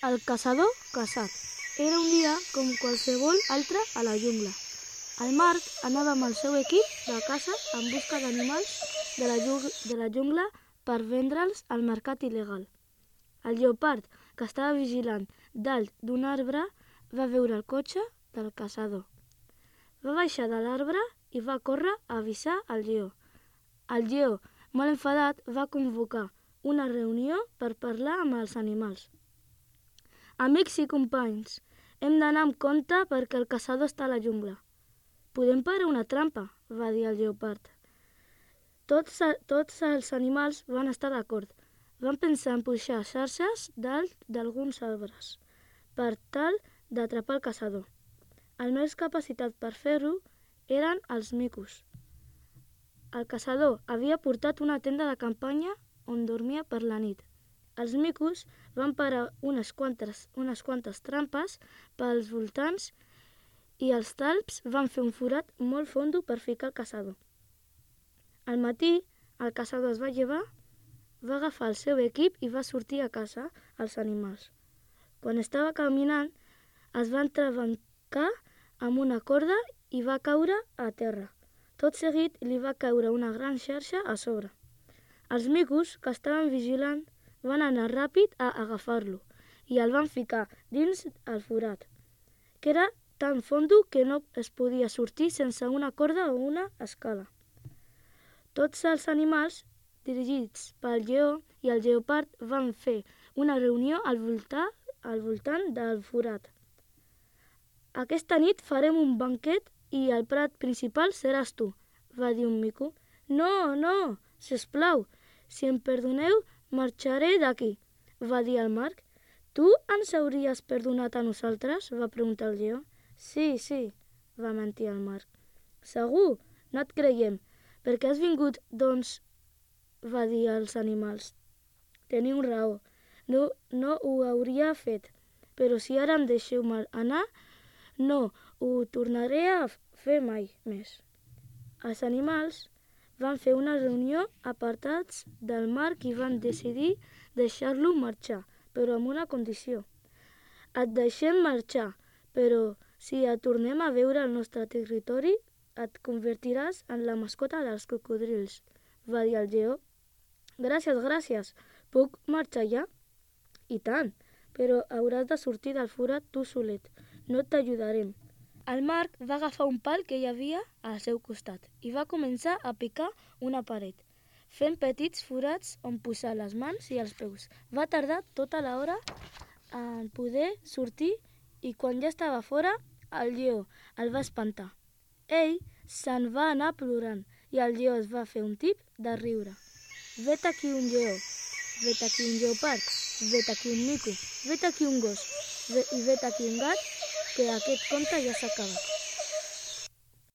El caçador caçat. Era un dia com qualsevol altre a la jungla. El Marc anava amb el seu equip de caça en busca d'animals de la jungla per vendre'ls al mercat il·legal. El lleopard, que estava vigilant dalt d'un arbre, va veure el cotxe del caçador. Va baixar de l'arbre i va córrer a avisar el lleó. El lleó, molt enfadat, va convocar una reunió per parlar amb els animals. Amics i companys, hem d'anar amb compte perquè el caçador està a la jungla. Podem parar una trampa, va dir el lleopard. Tots els animals van estar d'acord. Van pensar en pujar xarxes dalt d'alguns arbres per tal d'atrapar el caçador. El més capacitat per fer-ho eren els micos. El caçador havia portat una tenda de campanya on dormia per la nit. Els micos van parar unes quantes trampes pels voltants i els talps van fer un forat molt fondo per ficar el caçador. Al matí, el caçador es va llevar, va agafar el seu equip i va sortir a caçar els animals. Quan estava caminant, es va entrebancar amb una corda i va caure a terra. Tot seguit li va caure una gran xarxa a sobre. Els micos, que estaven vigilant, van anar ràpid a agafar-lo i el van ficar dins el forat, que era tan fondo que no es podia sortir sense una corda o una escala. Tots els animals, dirigits pel lleó i el lleopard, van fer una reunió al voltant del forat. Aquesta nit farem un banquet i el plat principal seràs tu, va dir un mico. No, no, sisplau, si em perdoneu, marxaré d'aquí, va dir el Marc. Tu ens hauries perdonat a nosaltres? Va preguntar el lleó. Sí, va mentir el Marc. Segur? No et creiem. Per què has vingut, doncs? Va dir als animals. Teniu raó. No ho hauria fet, però si ara em deixeu anar, no ho tornaré a fer mai més. Els animals van fer una reunió apartats del Marc i van decidir deixar-lo marxar, però amb una condició. Et deixem marxar, però si et tornem a veure al nostre territori, et convertiràs en la mascota dels cocodrils, va dir el lleó. Gràcies. Puc marxar ja? I tant, però hauràs de sortir del forat tu solet. No t'ajudarem. El Marc va agafar un pal que hi havia al seu costat i va començar a picar una paret, fent petits forats on posar les mans i els peus. Va tardar tota l'hora en poder sortir i quan ja estava fora, el lleó el va espantar. Ell se'n va anar plorant i el lleó es va fer un tip de riure. Vet aquí un lleó, vet aquí un lleopard, vet aquí un mico, vet aquí un gos i vet aquí un gat, que aquest conte ja s'acaba.